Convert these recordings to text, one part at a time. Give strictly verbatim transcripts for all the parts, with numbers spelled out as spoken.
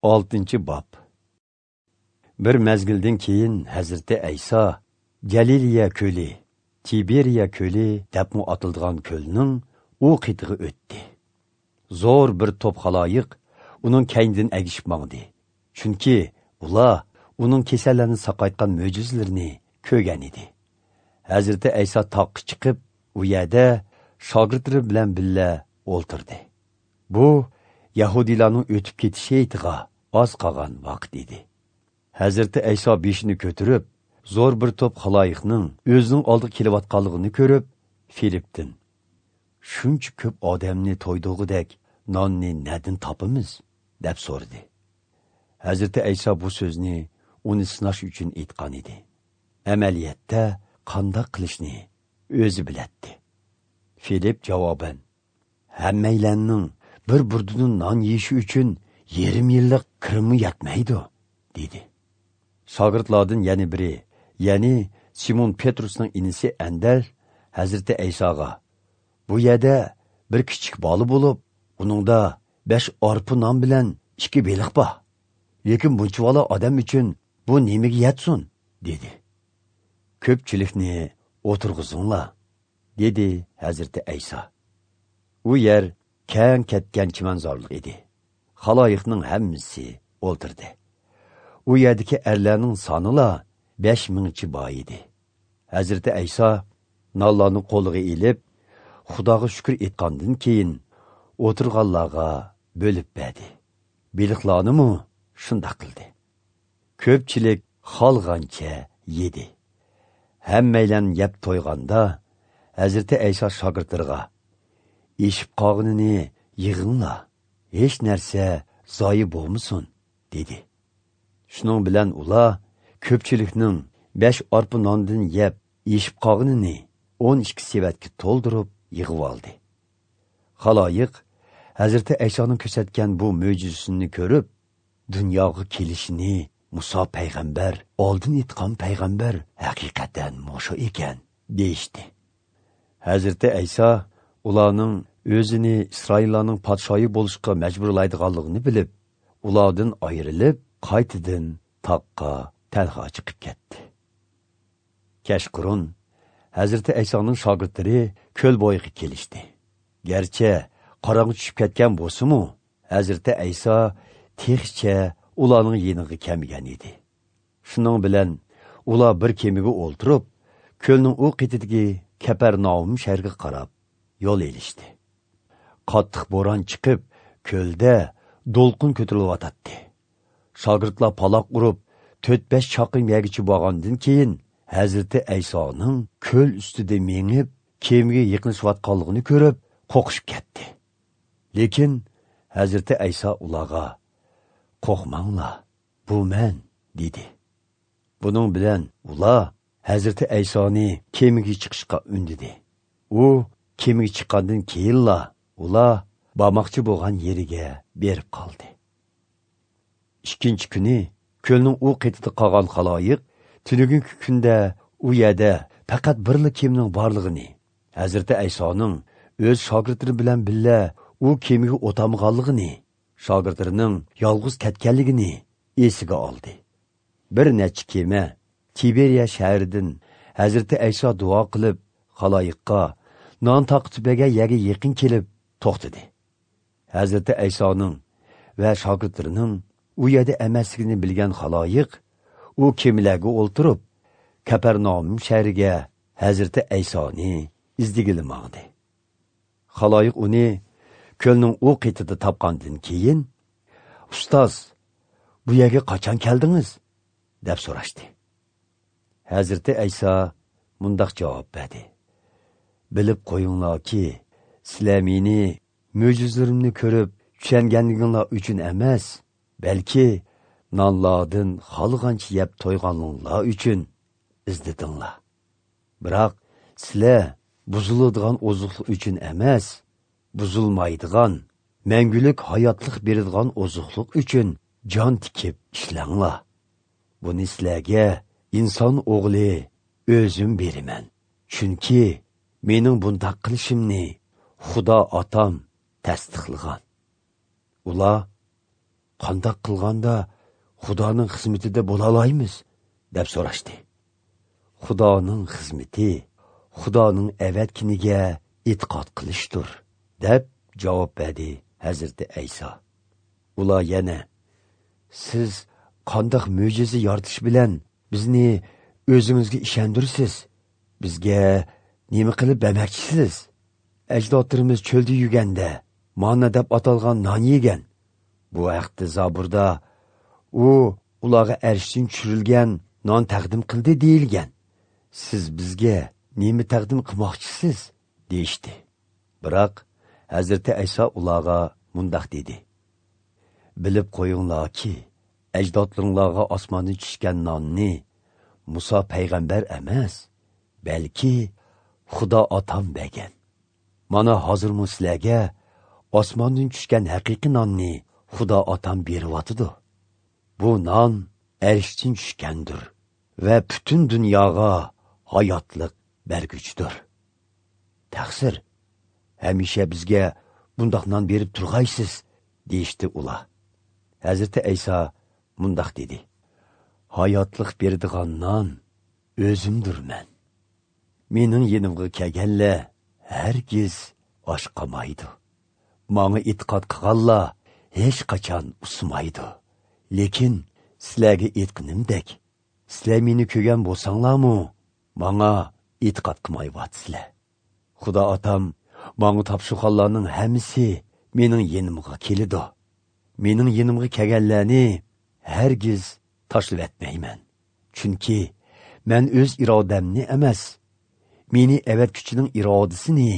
Oltinchi bob. Bir mezgildan keyin Hazrati Ayso Galiliya ko'li, Tiberiya ko'li debmi atildigan ko'lning u qitig'i o'tdi. Zo'r bir to'p xaloyiq uning kaynidan agishib mangdi. Chunki ular uning kasallarni saqaytgan mo'jizalarini ko'rgan edi. Hazrati Ayso toqqa chiqib, u yerda shogirdlari bilan birga o'ltirdi. Bu Yahudilarning o'tib ketishi hayitiga oz qolgan vaqt edi. Hazrati Ayso beshini ko'tarib, zo'r bir to'p xaloyiqning o'zining oldiga kelayotganligini ko'rib, Filipdin: "Shuncha ko'p odamni to'ydirgudek nonni nadin topamiz?" deb so'radi. Hazrati Ayso bu so'zni uni sinash uchun aytgan edi. Amaliyotda qanday qilishni o'zi biladi. Filip javoban: "Hammaylarning bir burdidan non yeyishi uchun yarim yillik kirimi yetmaydi", dedi. Shogirdlardan yana biri, ya'ni Simon Petrusning inisi Andar Hazrati Aysoga: "Bu yerda bir kichik bola bo'lib, uningda besh arpa non bilan ikki beliq bor. Lekin bunchavala odam uchun bu nimaga yetsin?" dedi. "Ko'pchilikni o'tirg'izinglar", dedi Hazrati Ayso. U yer keng ketgan chimanzorlik edi. Xaloyiqning hammasi o'ltirdi. U yerdagi erlarning sonila besh mingchi bor edi. Hazrati Ayso nonlarni qo'liga ilib, Xudoga shukr etgandan keyin o'tirganlarga bo'lib berdi. Beliqlarni shundoq qildi. Ko'pchilik xolg'ancha yedi. Hammaylan yeb to'yganda Hazrati Ayso shogirdlariga: "Eshib qolganini yig'inglar, hech narsa zoyi bo'lmasin", dedi. Shuning bilan ular ko'pchilikning besh arpa nondan yeb eshib qolganini o'n ikki sevatga to'ldirib yig'ib oldi. Xaloyiq Hazrati Aysoning ko'rsatgan bu mo'jizasini ko'rib, dunyoga kelishini Muso payg'ambar, oldin aytgan payg'ambar haqiqatan moshu ekan, deyishdi. Hazrati Ayso ularning o'zini Isroillarning podshoyi bo'lishga majburlaydiganligini bilib, ulardan ayrilib, qaytadan toqqa tanho chiqib ketdi. Kechqurun Hazrati Aysoning shogirdlari ko'l bo'yiga kelishdi. Garchi qorong'i tushib ketgan bo'lsa-mu, Hazrati Ayso texcha ularning yeniga kelmagan edi. Shuning bilan ular bir kemaga o'ltirib, ko'lning u qetidagi Kapernaum shahriga qarab yo'l elishdi. Qattiq bo'ron chiqib, ko'lda to'lqin ko'tarilyotdi. Shogirdlar paloq urib, to'rt besh chaqirim yergacha borgandan keyin Hazrati Aysoning ko'l ustida mengib, kemaga yiqilishayotganligini ko'rib, qo'rqishib ketdi. Lekin Hazrati Ayso ularga: "Qo'rqmanglar, bu men", dedi. Buning bilan ular Hazrati Aysoni kemaga chiqishga undadi. U kemaga chiqqandan keyinla ular bormoqchi bo'lgan yeriga berib qoldi. Ikkinchi kuni ko'lning u qetida qolgan xaloyiq tunugungi kunda u yerda faqat birla kemaning borlig'ini, Hazrati Aysoning o'z shogirdlari bilan birga u kemaga o'tamaganligini, shogirdlarining yolg'iz ketganligini esiga oldi. Bir necha kema Tiberiya shahridan Hazrati Ayso duo qilib, xaloyiqqa non taqitib bergan yerga yaqin kelib to'xtadi. Hazrati Aysoning va shogirdlarining u yerda emasligini bilgan xaloyiq u kemalarga o'ltirib, Kapernaum shahriga Hazrati Aysoni izdigili mangdi. Xaloyiq uni ko'lning u qetida topgandan keyin: "Ustoz, bu yerga qachon keldingiz?" deb so'rashdi. Hazrati Ayso mundoq javob berdi: "Bilib qo'yinglarki, sizlar meni mo'jizalarimni ko'rib tushunganliginglar uchun emas, balki nonlardan xolg'ancha yeb to'yganinglar uchun izladinglar. Biroq sizlar buziladigan oziqlik uchun emas, buzilmaydigan, mangulik hayotlik beradigan oziqlik uchun jon tikib ishlanglar. Buni sizlarga inson o'g'li o'zim beraman. Chunki mening bundaq qilishimni Xudo otam tasdiqlagan." Ular qandoq qilganda Xudoning xizmatida bo'la olamiz, deb so'rashdi. Xudoning xizmati Xudoning avatkiniga e'tiqod qilishdir, deb javob berdi Hazrati Ayso. Ular yana: Siz qandoq mo'jiza yoritish bilan bizni o'zingizga ishondirsiz? Bizga nima qilib bermoqchisiz? Ajdodlarimiz cho'lda yurganda manna deb atalgan non yegan. Bu haqda Zaburda u ularga arshdan tushirilgan non taqdim qildi deyilgan. Siz bizga nima taqdim qilmoqchisiz, deyishdi. Biroq Hazrati Ayso ularga mundoq dedi: Bilib qo'yinglarki, ajdodlaringlarga osmondan tushgan nonni Musa payg'ambar emas, balki Xudo otam bergan. Mana hozirmi sizlarga osmondan tushgan haqiqiy nonni Xudo otam beryotidi. Bu non arshdan tushgandir va butun dunyoga hayotlik berguchidir. Taqsir, hamisha bizga bundoq non berib turg'aysiz, deyishdi ular. Hazrati Ayso mundoq dedi: Hayotlik beradigan non o'zimdirman. Mening yenimga kelganlar hargiz och qolmaydi. Manga e'tiqod qilganlar hech qachon usmaydi. Lekin sizlarga aytganimdek, sizlar meni ko'rgan bo'lsanglarmi, manga e'tiqod qilmayapsizlar. Xudo otam manga topshirganlarning hammasi mening yenimga keladi. Mening yenimga kelganlarni hargiz tashlab etmayman. Chunki men o'z irodamni emas, meni avatkuchining irodasini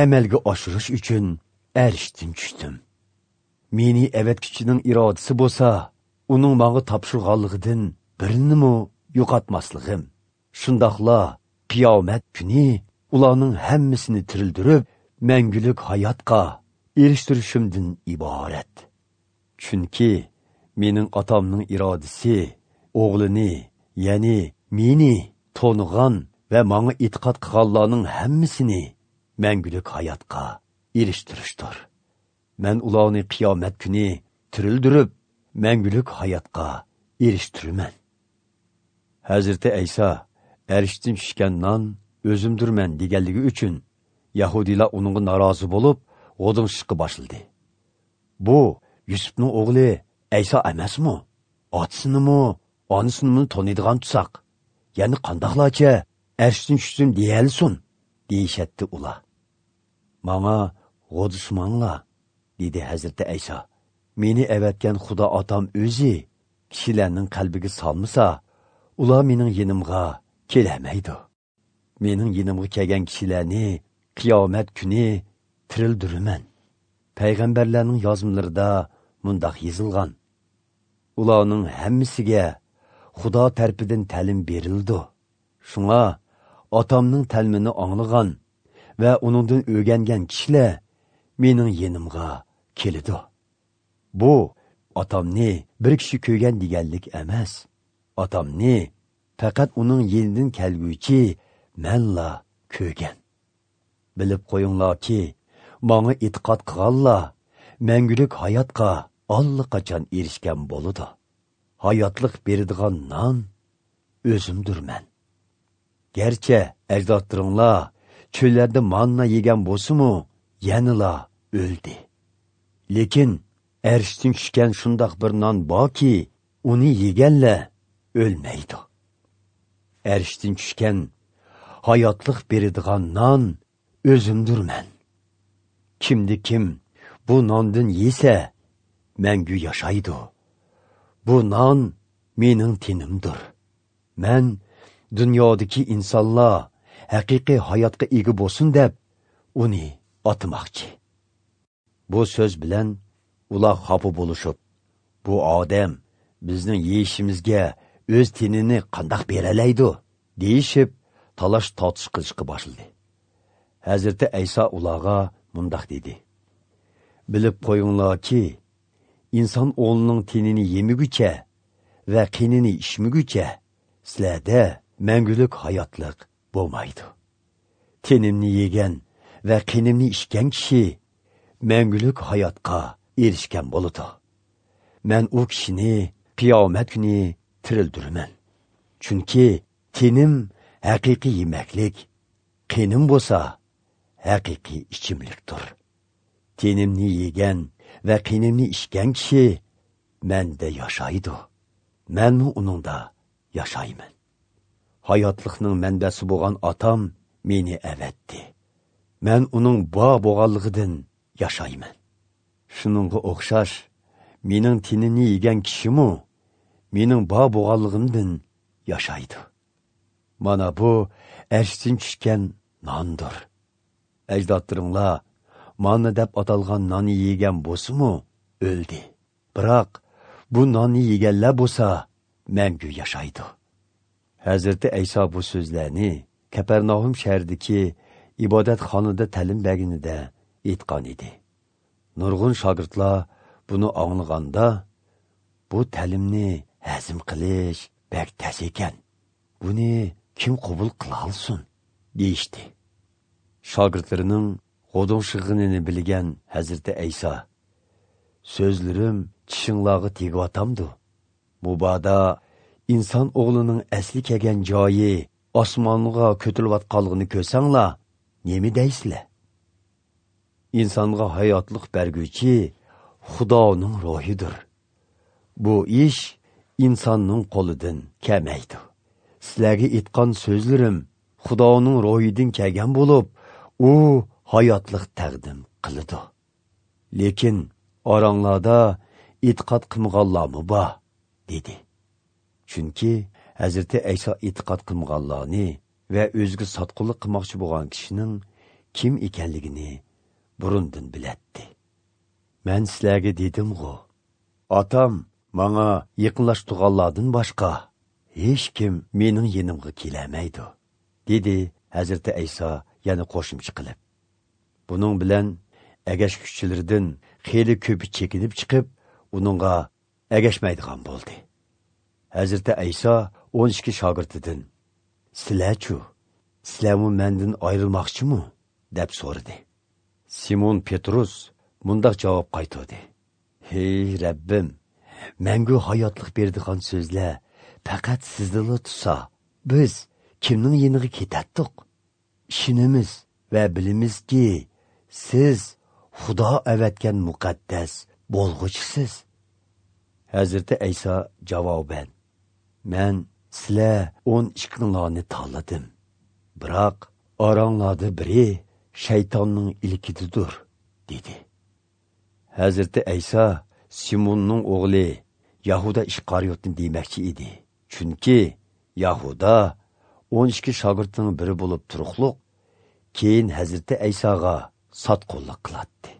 amalga oshirish uchun arshdan tushdim. Meni avatkuchining irodasi bo'lsa, uning menga topshirganligidan birinimi yo'qotmasligim. Shundoqla qiyomat kuni ularning hammasini tirildirib, mangulik hayotga erishtirishimdan iborat. Chunki mening otamning irodasi o'g'lini, ya'ni meni to'nig'an va menga e'tiqod qilganlarning hammasini mangulik hayotga erishtirishdir. Men ularni qiyomat kuni tirildirib, mangulik hayotga erishtiraman. Hazrati Ayso arshdan tushgan non o'zimdirman deganligi uchun yahudiylar uningga norozi bo'lib, g'o'ding'ishga boshladi. Bu Yusufning o'g'li Ayso emasmi? Otasinimi, onasinimi taniydigan tusoq. Ya'ni qandoqlarcha arshdan tushdim deyalsun, deyishatdi ular. Manga g'o'dishmanglar, dedi Hazrati Ayso. Meni avatgan Xudo otam o'zi kishilarning qalbiga solmasa, ular mening yenimga kelamaydi. Mening yenimga kelgan kishilarni qiyomat kuni tirildiraman. Payg'ambarlarning yozmalarida mundoq yozilgan: Ularning hammasiga Xudo tarafidan ta'lim berildi. Shunga otamning ta'limini anglagan va uningdan o'rgangan kishilar mening yenimga keladi. Bu otamni bir kishi ko'rgan deganlik emas. Otamni faqat uning yenidan kelguvchi manla ko'rgan. Bilib qo'yinglarki, manga e'tiqod qilganlar mangulik hayotga allaqachon erishgan bo'ladi. Hayotlik beradigan non o'zimdirman. Garchi ajdodlaringlar cho'llarda manna yegan bo'lsa-mu, yanala o'ldi. Lekin arshdan tushgan shundoq bir non borki, uni yeganlar o'lmaydi. Arshdan tushgan hayotlik beradigan non o'zimdirman. Kimdi kim bu nondan yesa, mangu yashaydi. Bu non mening tenimdir. Men dunyodagi insonlar haqiqiy hayotga ega bo'lsin deb uni otmoqchi. Bu so'z bilan ular xafa bo'lishib, bu odam bizning yeyishimizga o'z tenini qandoq beralaydi, deyishib talash tortish qilishga boshladi. Hazrati Ayso ularga mundoq dedi: Bilib qo'yinglarki, inson o'g'lining tenini yemigucha va qinini ichmigucha sizlarda mangulik hayotlik bo'lmaydi. Tenimni yegan va qinimni ichgan kishi mangulik hayotga erishgan bo'ladi. Men u kishini qiyomat kuni tirildiraman. Chunki tenim haqiqiy yemaklik, qinim bo'lsa haqiqiy ichimlikdir. Tenimni yegan va qinimni ichgan kishi menda yashaydi. Menmi uningda yashayman. Hayotlikning manbasi bo'lgan otam meni avatdi. Men uning bor bo'lganligidan yashayman. Shuningga o'xshash mening tenimni yegan kishimi mening bor bo'lganligimdan yashaydi. Mana bu arshdan tushgan nondir. Ajdodlaringlar manna deb atalgan nonni yegan bo'lsa-mu o'ldi. Biroq bu nonni yeganlar bo'lsa mangu yashaydi. Hazrati Ayso bu so'zlarni Kapernaum shahridagi ibodatxonada ta'lim berganida aytgan edi. Nurg'un shogirdlar buni anglaganda, bu ta'limni hazm qilish bek tas ekan. Buni kim qabul qila olsin, deyishdi. Shogirdlarining g'o'dong'ishig'ini bilgan Hazrati Ayso, so'zlarim tishinglarga tegiyotamdi. Mubodo inson o'g'lining asli kelgan joyi osmonga ko'tarilayotganligini ko'rsanglar, nima deysizlar? Insonga hayotlik berguvchi Xudoning ruhidir. Bu ish insonning qo'lidan kelmaydi. Sizlarga aytgan so'zlarim Xudoning ruhidan kelgan bo'lib, u hayotlik taqdim qiladi. Lekin oranglarda e'tiqod qilmaganlarmi bor, dedi. Chunki Hazrati Ayso e'tiqod qilmaganlarni va o'ziga sotqinlik qilmoqchi bo'lgan kishining kim ekanligini burundan bilatdi. Men sizlarga dedim-g'u, otam manga yaqinlashtirganlardan boshqa hech kim mening yenimga kelamaydi, dedi Hazrati Ayso yana qo'shimcha qilib. Buning bilan agashkuchilardan xeyli ko'pi chekinib chiqib, uningga agashmaydigan bo'ldi. Hazrati Ayso o'n ikki shogirdidan, "Sizlar-chu, sizlarmi mendan ayrilmoqchimi?" deb so'radi. Simon Petrus mundaq javob qaytardi: "Hey Rabbim, mangu hayotlik beradigan so'zlar faqat sizdala tursa, biz kimning yeniga ketatdiq? Ishonamiz va bilamizki, siz Xudo avatgan muqaddas bo'lg'uchisiz." Hazrati Ayso javoban: "Men sizlar o'n ikkinglarni tanladim. Biroq oranglarda biri shaytonning ilkididir", dedi. Hazrati Ayso Simonning o'g'li Yahuda Iskariyotni demoqchi edi. Chunki Yahuda o'n ikki shogirdning biri bo'lib turuqliq, keyin Hazrati Aysoga sotqinlik qiladi.